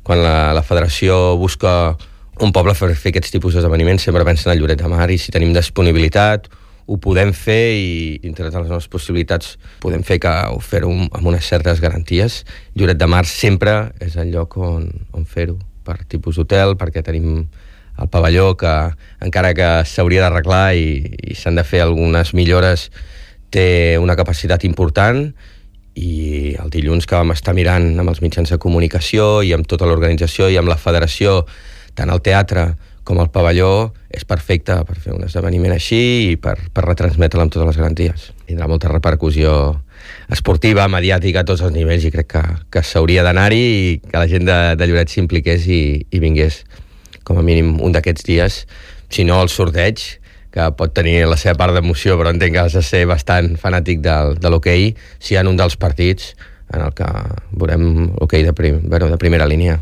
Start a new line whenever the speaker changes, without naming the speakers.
quan la federació busca un poble per fer aquests tipus d'esdeveniments, sempre pensa en el Lloret de Mar, i si tenim disponibilitat ho podem fer, i dintre de les nostres possibilitats podem fer-ho amb unes certes garanties. Lloret de Mar sempre és el lloc on fer-ho, per tipus d'hotel, perquè tenim el pavelló que, encara que s'hauria d'arreglar i s'han de fer algunes millores, té una capacitat important, i el dilluns que vam estar mirant amb els mitjans de comunicació i amb tota l'organització i amb la federació, tant el teatre com el pavelló, és perfecte per fer un esdeveniment així i per retransmetre'l amb totes les garanties. Tindrà molta repercussió esportiva, mediàtica, a tots els nivells, i crec que s'hauria d'anar-hi i que la gent de Lloret s'impliqués i vingués com a mínim un d'aquests dies. Si no, el sorteig, que pot tenir la seva part d'emoció, però entenc que has de ser bastant fanàtic de l'hoquei, si hi ha un dels partits en el que veurem hoquei de primera línia.